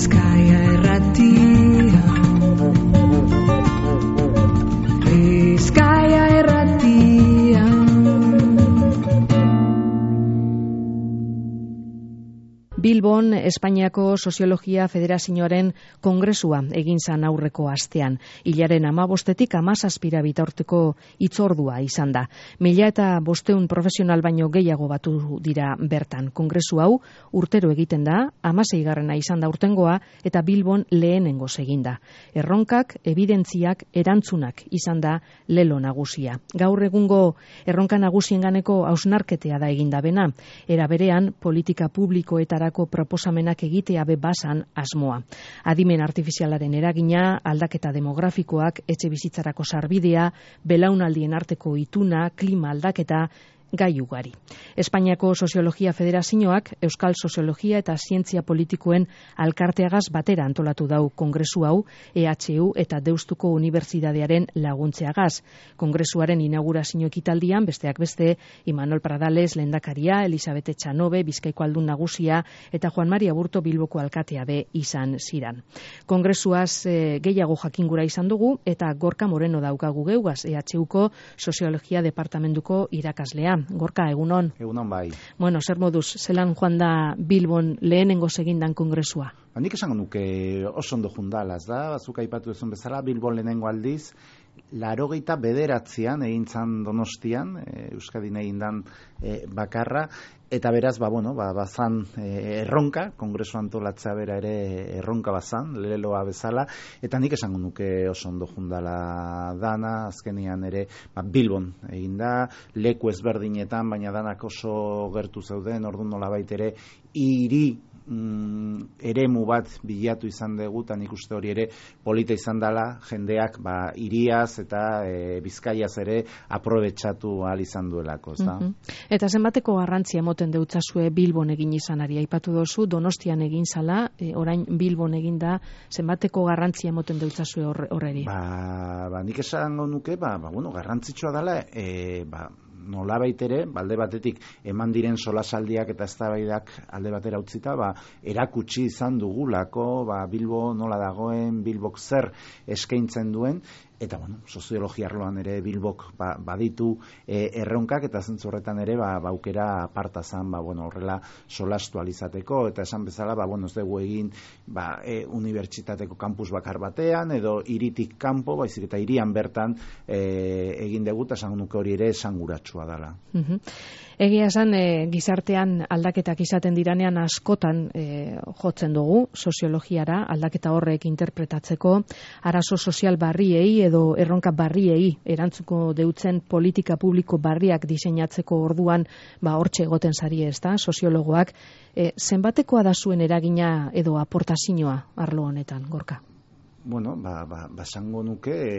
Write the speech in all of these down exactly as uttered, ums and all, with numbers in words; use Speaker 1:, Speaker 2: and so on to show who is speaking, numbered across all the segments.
Speaker 1: Bizkaia irratia, Bizkaia irratia. Bilbon, Espainiako Soziologia Federazioaren kongresua egin zan aurreko astean. Hilaren hamabostetik hamazazpira bitarteko hitzordua izan da. Mila eta bosteun profesional baino gehiago batu dira bertan. Kongresu hau urtero egiten da, hamaseigarrena izan da urtengoa, eta Bilbon lehenengoz egin da. Erronkak, ebidentziak, erantzunak izan da lelo nagusia. Gaur egungo erronka nagusienganeko hausnarketea da eginda bena. Era berean, politika publikoetara proposamenak egitea be basan asmoa. Adimen artifizialaren eragina, aldaketa demografikoak, etxe bizitzarako sarbidea, belaunaldien arteko ituna, klima aldaketa, gai ugari. Espainiako Soziologia Federazioak Euskal Soziologia eta Zientzia Politikoen alkarteagaz batera antolatu dau kongresu hau E H U eta Deustuko Unibertsitatearen laguntzeagaz. Kongresuaren inaugurazio ekitaldian, besteak beste, Imanol Pradales lehendakaria, Elisabete Txanobe, Bizkaiko aldun nagusia eta Juan Mari Aburto Bilboko alkatea be izan ziran. Kongresuaz e, gehiago jakingura izan dugu eta Gorka Moreno daukagu geugaz, E H Uko Soziologia Departamentuko irakaslea. Gorka, egunon.
Speaker 2: Egunon bai.
Speaker 1: Bueno, zer moduz, zelan joan da Bilbon lehenengo segindan kongresua?
Speaker 2: Ba, nik esango nuke oso ondo jundalaz da, bazuk aipatu duzun bezala, Bilbon lehenengo aldiz, larogeita bederatzean egin zan Donostian, e, Euskadin egin dan e, bakarra, eta beraz, ba, bueno, ba, bazan e, erronka, kongresu antolatzea bera ere erronka bazan, leloa bezala, eta nik esango nuke oso ondo jundala dana, azkenian ere, ba, Bilbon egin da, leku ezberdinetan, baina danak oso gertu zeuden, orduan nolabait ere, hiri Mm, eremu bat bilatu izan dugu, eta nik uste hori ere polita izan dela, jendeak ba, iriaz eta e, Bizkaiaz ere aprobetxatu ahal izan duelako. Ez da?
Speaker 1: Mm-hmm. Eta zenbateko garrantzia emoten deutzazue Bilbon egin izanari? Aipatu dozu, Donostian egin zala, e, orain Bilbon egin da, zenbateko garrantzia emoten deutzazue horreri?
Speaker 2: Ba, ba, nik esango nuke, ba, ba, bueno, garrantzitsua dela, e, ba, nolabait ere, alde batetik eman diren solasaldiak eta eztabaidak alde batera utzita, ba, erakutsi izan dugulako, ba, Bilbo nola dagoen, Bilbok zer eskaintzen duen, eta, bueno, soziologia arloan ere Bilbok ba, baditu e, erronkak, eta zentzu horretan ere, ba, baukera aparta zan, ba, bueno, horrela solastu alizateko, eta esan bezala, ba, bueno, ez dugu egin, ba, e, unibertsitateko kampus bakar batean, edo hiritik kanpo, baizik eta hirian bertan e, egin dugu, eta esan nuke hori ere esanguratsua dela.
Speaker 1: Mm-hmm. Egia esan, e, gizartean aldaketak izaten diranean askotan e, jotzen dugu soziologiara, aldaketa horrek interpretatzeko, arazo sozial barriei edo erronka barriei erantzuko deutzen politika publiko barriak diseinatzeko orduan, ba hortxe egoten sari ez da, soziologoak. E, zenbatekoa da zuen eragina edo aportazioa arlo honetan, Gorka?
Speaker 2: Bueno, ba, ba, basango nuke e,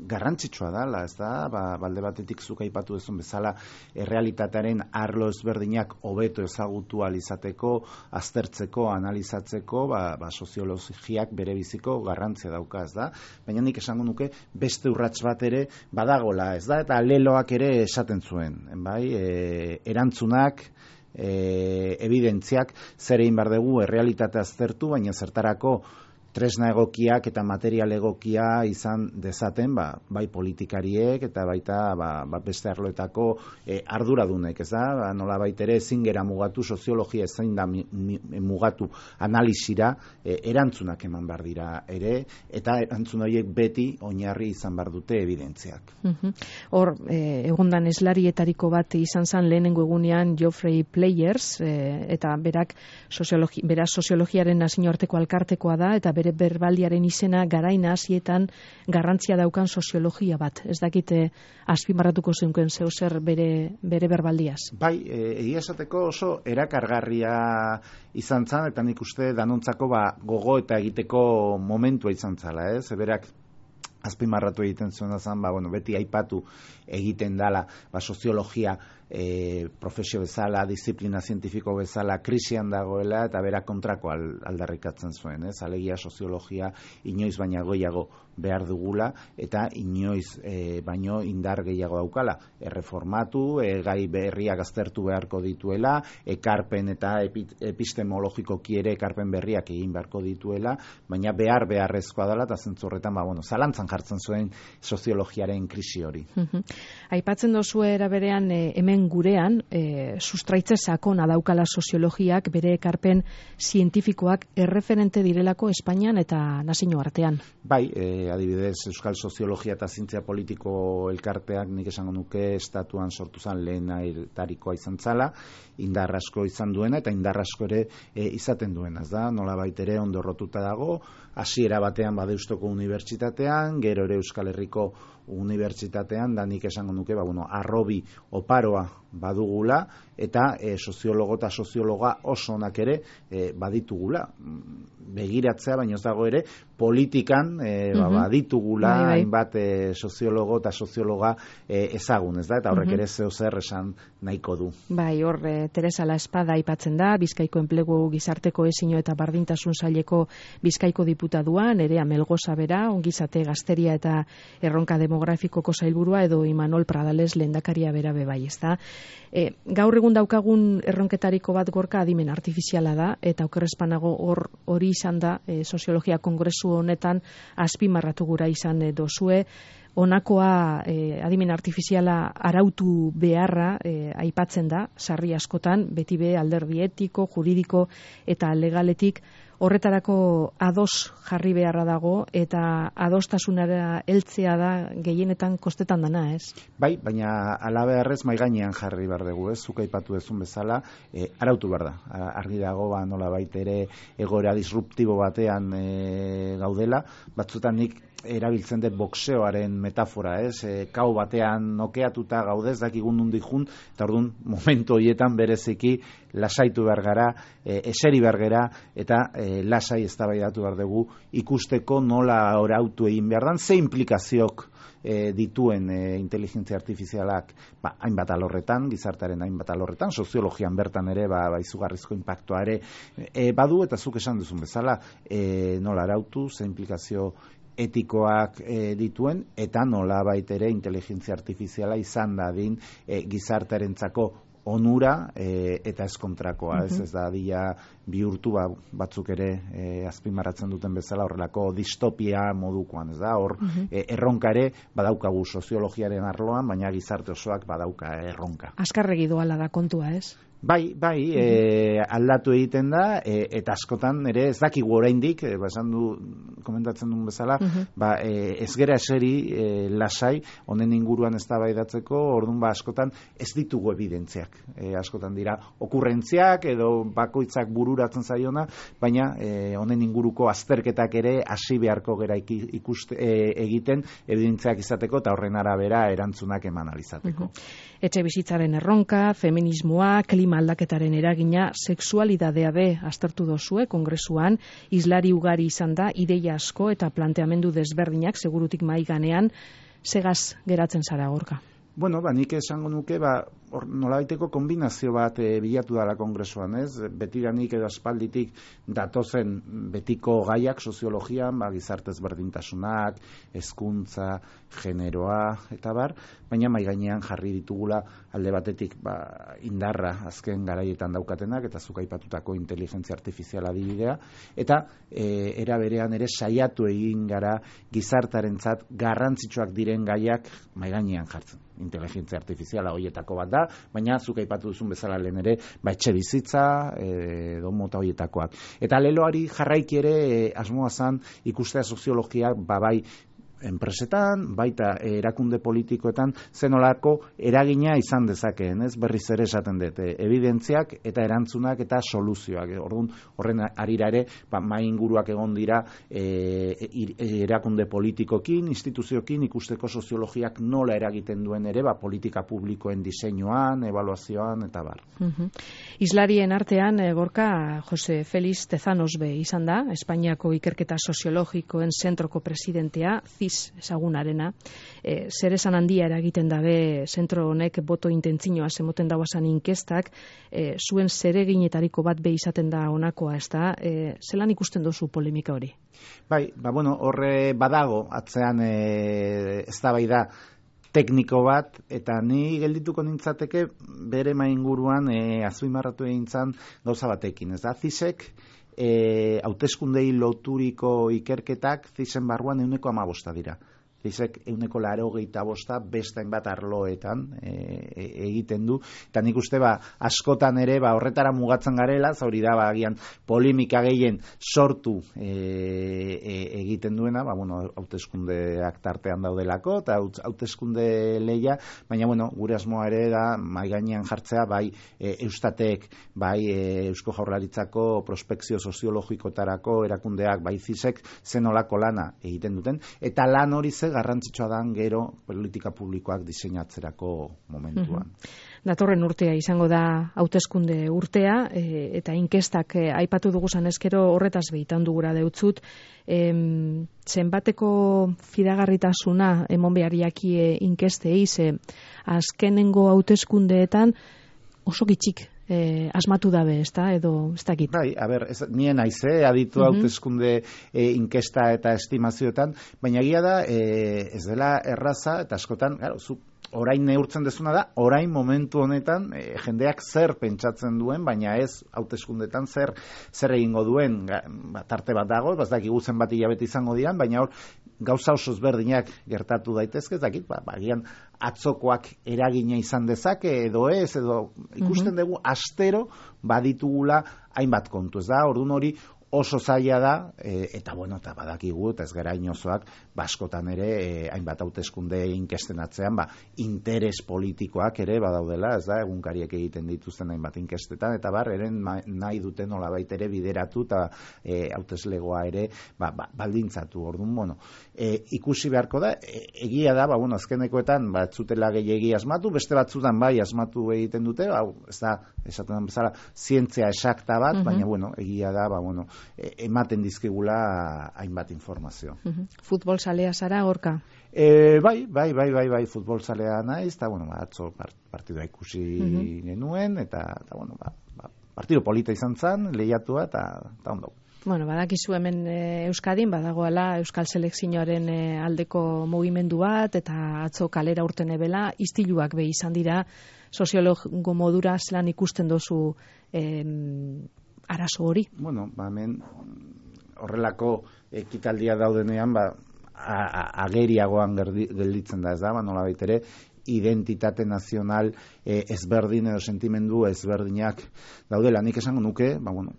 Speaker 2: garrantzitsua dala, ez da, ba, balde batetik zuk aipatu duzun bezala, errealitatearen arlo ezberdinak hobeto ezagutu alizateko, aztertzeko, analizatzeko, ba, ba, soziologiak bere biziko garrantzia dauka, ez da, baina nik esango nuke beste urrats bat ere badagola, ez da, eta leloak ere esaten zuen, bai, e, erantzunak, e, evidentziak, zer egin behar dugu errealitatea aztertu, baina zertarako tresna egokiak eta material egokia izan dezaten, ba, bai politikariek eta baita ba, ba beste arloetako e, arduradunek, ez da? Ba, nola baita ere ezin gera mugatu, soziologia ezin da mi, mi, mugatu analizira, e, erantzunak eman behar dira ere, eta erantzun horiek beti oinarri izan behar dute evidentziak.
Speaker 1: Mm-hmm. Hor, e, egondan eslarietariko bat izan zen lehenengo egunean Geoffrey Players, e, eta berak soziologi, beraz soziologiaren nazioarteko alkartekoa da, eta bere berbaldiaren izena garaina hasietan garrantzia daukan soziologia bat. Ez dakite azpimarratuko zeunken zeu zer bere, bere berbaldiaz.
Speaker 2: Bai, egia esateko oso erakargarria izan zan, eta nik uste danontzako ba, gogo eta egiteko momentua izan zala, ez? Berak azpimarratu egiten zuena zen, ba, bueno, beti aipatu egiten dala ba, soziologia e, profesio bezala, disiplina zientifiko bezala krisian dagoela eta bera kontrako aldarrikatzen zuen, ez? Alegia soziologia inoiz baina gehiago behar dugula eta inoiz e, baino indar gehiago daukala. Erreformatu, e, gai berriak aztertu beharko dituela, ekarpen eta epi, epistemologikoki ere ekarpen berriak egin beharko dituela, baina behar beharrezkoa dela eta zentzu horretan, ba, bueno, zalantzan jartzen zuen soziologiaren krisi hori.
Speaker 1: Aipatzen dozu era berean e, hemen gurean e, sustraitze sakona daukala soziologiak bere ekarpen zientifikoak erreferente direlako Espainian eta nazio artean.
Speaker 2: Bai, e, adibidez Euskal Soziologia eta Zientzia Politiko elkarteak nik esango nuke estatuan sortu zen lehenatarikoa izan zala, indar asko izan duena eta indar asko ere e, izaten duena, ez da, nolabait ere ondorrotuta dago, hasiera batean Badeustoko Unibertsitatean, gero ere Euskal Herriko Unibertsitatean, da nik esango nuke, ba, bueno, arrobi oparoa badugula, eta e, soziologo eta soziologa oso onak ere e, baditugula. Begiratzea, baina ez dago ere, politikan e, ba, baditugula, bai, bai. hainbat e, soziologo eta soziologa e, ezagun, ez da? Eta horrek ere zeo zer esan nahiko du.
Speaker 1: Bai, hor, e, Teresa La Espada aipatzen da, Bizkaiko Enplegu Gizarteko Ezino eta Bardintasun Saileko Bizkaiko diputaduan, ere Amelgoza bera, ongizate gazteria eta erronka demografikoko zailburua, edo Imanol Pradales lehendakaria bera bebai, ez da? E, gaur egun daukagun erronketariko bat Gorka adimen artifiziala da, eta okerrezpanago hor hori izan da e, soziologia kongresu honetan azpimarratu gura izan e, dozue, honakoa e, adimen artifiziala arautu beharra e, aipatzen da, sarri askotan, beti be alderdi etiko, juridiko eta legaletik horretarako ados jarri beharra dago eta adostasunara heltzea da gehienetan kostetan dana, ez?
Speaker 2: Bai, baina ala beharrez mai gainean jarri behar dugu, ez? Zuk aipatu duzun bezala, e, arautu behar da. Argi dago, ba, nolabait ere egoera disruptibo batean e, gaudela, batzutan nik erabiltzen dut boxeoaren metafora, ez? E, kau batean nokeatuta gaudez, dakigun nondik jun, eta orduan momentu horietan bereziki lasaitu behar gara, e, eseri behar gara, eta e, lasai eztabaidatu behar dugu ikusteko nola orautu egin behar dan, ze implikazioak e, dituen e, inteligentzia artifizialak ba, hainbat alorretan, gizartaren hainbat alorretan, soziologian bertan ere ba, ba, izugarrizko impactoa ere e, badu, eta zuk esan duzun bezala, e, nola arautu, ze implikazio etikoak e, dituen, eta nola baitere inteligentzia artifiziala izan dadin e, gizartearentzako onura e, eta ez kontrakoa, ez, ez da dia bihurtu ba, batzuk ere e, azpimarratzen duten bezala horrelako distopia modukoan, ez da, hor e, erronka ere badaukagu soziologiaren arloan, baina gizarte osoak badauka erronka.
Speaker 1: Azkarregi doala da kontua, ez?
Speaker 2: Bai, bai, e, aldatu egiten da, e, eta askotan ere ez dakigu oraindik, e, ba, esan du, komentatzen duen bezala, uh-huh. ba, e, ez gera eseri e, lasai, honen inguruan eztabaidatzeko, orduan ba, askotan ez ditugu evidentziak. E, askotan dira, okurrentziak edo bakoitzak bururatzen zaiona, baina e, honen inguruko azterketak ere hasi beharko gera ikuste, e, egiten evidentziak izateko, eta horren arabera erantzunak eman alizateko.
Speaker 1: Uh-huh. Etxe bizitzaren erronka, feminismoa, klima aldaketaren eragina, sexualidadea be aztertu dozue kongresuan, islari ugari izan da, ideia asko eta planteamendu desberdinak segurutik mai ganean, segaz geratzen zara Gorka.
Speaker 2: Bueno, ba, nik esango nuke, ba, or, nolabaiteko kombinazio bat e, bilatu dara kongresuan, ez? Betiranik edo aspalditik datozen betiko gaiak soziologian, ba, gizartez berdintasunak, hezkuntza, generoa, eta bar, baina mai gainean jarri ditugula alde batetik ba, indarra azken garaietan daukatenak, eta zuk aipatutako inteligentzia artifiziala adibidea, eta e, era berean ere saiatu egin gara gizartarentzat garrantzitsuak diren gaiak mai gainean jartzen. Inteligentzia artifiziala horietako bat da, baina zuk aipatu duzun bezala lehen ere, ba etxe bizitza, edo mota horietakoak. Eta leloari jarraiki ere e, asmoa zan ikustea soziologiak babai enpresetan, baita erakunde politikoetan zenolako eragina izan dezakeen, ez? Berriz ere esaten dut, evidentziak eta erantzunak eta soluzioak. Orduan, horren arira ere, ba, mai inguruak egon dira e, erakunde politikokin, instituziokin, ikusteko soziologiak nola eragiten duen ere, ba, politika publikoen diseinuan, ebaluazioan, eta bar.
Speaker 1: Uh-huh. Islarien artean, Gorka, Jose Feliz Tezanos be izan da, Espainiako ikerketa soziologikoen zentroko presidentea, C I inoiz ezagunarena, e, zer esan handia eragiten dabe zentro honek boto intentzinoa zemoten dauazan inkestak, e, zuen zereginetariko bat be izaten da honakoa, ez da? E, zelan ikusten duzu polemika hori?
Speaker 2: Bai, ba, bueno, horre badago, atzean e, eztabaida tekniko bat, eta ni geldituko nintzateke bere mainguruan e, azuimarratu egin zan gauza batekin, ez da? Zisek, e, hauteskundei loturiko ikerketak zisen barruan euneko amabosta dira. Zizek euneko laro gehieta bosta bestain bat arloetan e, e, egiten du. Eta nik uste ba, askotan ere ba, horretara mugatzen garela, zauri da ba, agian polemika gehien sortu e, e, egiten duena, ba, bueno, hauteskundeak tartean daudelako, eta hauteskunde leia, baina bueno, gure asmoa ere da mai gainean jartzea bai e, Eustatek, bai e, Eusko Jaurlaritzako prospekzio soziologikotarako erakundeak, bai Zisek zenolako lana egiten duten, eta lan hori ze garrantzitsua dan gero politika publikoak diseinatzerako momentuan.
Speaker 1: Mm-hmm. Datorren urtea izango da hauteskunde urtea, e, eta inkestak e, aipatu duguzan ezkero horretaz behitan dugura deutzut, e, zenbateko fidagarritasuna emon behar jakie inkestei, ze azkenengo hauteskundeetan oso gitxik Eh, asmatu dabe, ez da, edo ez dakit.
Speaker 2: Bai, a ber, ez, nien aize, aditu uh-huh. hauteskunde e, inkesta eta estimazioetan, baina egia da, e, ez dela erraza, eta askotan, claro, zu orain neurtzen dezuna da, orain momentu honetan e, jendeak zer pentsatzen duen, baina ez hauteskundetan zer zer egingo duen, ba, tarte bat dago, ez dakigu zenbat hilabete izango dian, baina hor gauza oso ezberdinak gertatu daitezke, ez dakit, ba, bagian atzokoak eragina izan dezake edo ez, edo ikusten dugu astero baditugula hainbat kontu, ez da, orduan hori oso zaila da, e, eta bueno, eta badakigu, eta ez gara inozoak, baskotan ere, e, hainbat hauteskunde inkesten atzean, ba, interes politikoak ere badaudela, ez da, egunkariek egiten dituzten hainbat inkestetan, eta bar, eren nahi duten nolabait ere bideratu, eta e, hauteslegoa ere, ba, ba, baldintzatu, orduan, bueno, e, ikusi beharko da, e, egia da, ba, bueno, azkenekoetan, ba, zutela gehiegi asmatu, beste batzutan bai asmatu egiten dute, ba, ez da, esaten bezala, zientzia esakta bat, uh-huh. baina, bueno, egia da, ba, bueno, ematen dizkigula hainbat informazio.
Speaker 1: Uh-huh. Futbol zalea zara, Gorka?
Speaker 2: E, bai, bai, bai, bai, bai, futbol zalea naiz, eta, bueno, ba, atzo partidua ikusi uh-huh. genuen, eta, eta bueno, ba, ba, partido polita izan zen, lehiatua, eta, eta ondo.
Speaker 1: Bueno, badakizu hemen e, Euskadin, badagoela Euskal Selekzioaren e, aldeko mugimendu bat, eta atzo kalera urten ebela, istiluak be izan dira, soziologo modura zelan ikusten dozu em, arazo hori?
Speaker 2: Bueno, ba, hemen horrelako ekitaldia daudenean, ba, ageriagoan gelditzen da, ez da, ba, nola baitere, identitate nazional e, ezberdin edo sentimendu ezberdinak daudela. Nik esango nuke, ba, bueno,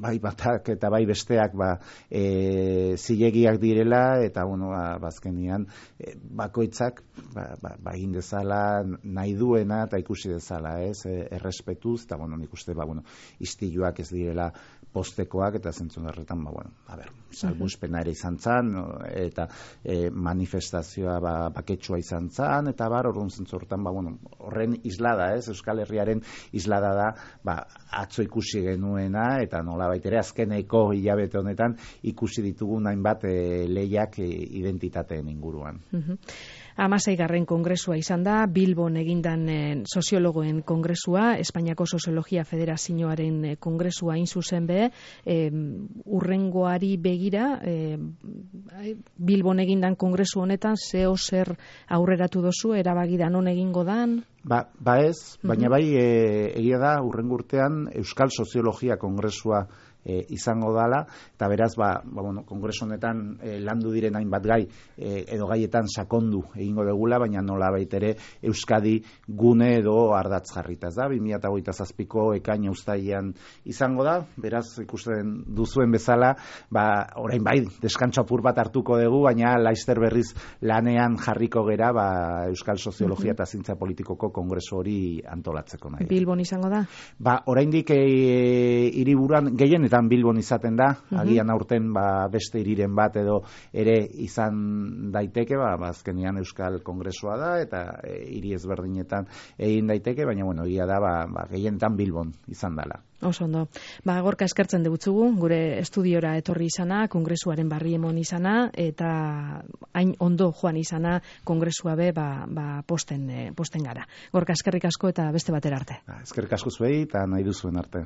Speaker 2: bai batak eta bai besteak ba, e, zilegiak direla, eta bueno, ba, bazkenian e, bakoitzak ba, ba, ba egin dezala nahi duena eta ikusi dezala, ez, e, errespetuz, eta bueno, nik uste, ba, bueno, istiluak ez direla postekoak, eta zentzun horretan, ba, bueno, a ber, salbuspena ere izan zan, eta e, manifestazioa ba, baketsua izan zan, eta bar, horren zentzu horretan, ba, bueno, horren islada, ez, Euskal Herriaren islada da, ba, atzo ikusi genuena, eta nola baitere azkeneko hilabete honetan ikusi ditugun hainbat e, lehiak e, identitateen inguruan.
Speaker 1: Uh-huh. Hamaseigarren kongresua izan da, Bilbon egindan e, soziologoen kongresua, Espainiako Soziologia Federazioaren e, kongresua hain zuzen be, e, urrengoari begira, e, Bilbon egindan kongresu honetan, zeo zer aurreratu dozu, erabagidan non egingo dan?
Speaker 2: Ba, ba ez, baina bai e, egia da urrengo urtean Euskal Soziologia Kongresua e, izango dala, eta beraz, ba, ba, bueno, kongresu honetan e, landu diren hainbat gai, e, edo gaietan sakondu egingo degula, baina nola baitere Euskadi gune edo ardatz jarritaz da, bi mila hogeita zazpiko ekaina uztailean izango da, beraz, ikusten duzuen bezala, ba, orain bai, deskantso apur bat hartuko dugu, baina laister berriz lanean jarriko gera, ba, Euskal Soziologia eta Zientzia Politikoko kongresu hori antolatzeko nahi.
Speaker 1: Bilbon izango da?
Speaker 2: Ba, oraindik e, hiriburuan gehien eta gehienetan Bilbon izaten da, mm-hmm. agian aurten ba, beste hiriren bat edo ere izan daiteke, ba, ba azkenean Euskal Kongresua da, eta e, hiri ezberdinetan egin daiteke, baina bueno, egia da, ba, ba, gehienetan Bilbon izan dela.
Speaker 1: Oso ondo. Ba, Gorka eskertzen degutzugu, gure estudiora etorri izana, kongresuaren barri emon izana, eta hain ondo joan izana, kongresua be, ba, ba posten, eh, posten gara. Gorka eskerrik asko eta beste batera arte.
Speaker 2: Eskerrik asko zuei eta nahi duzuen arte.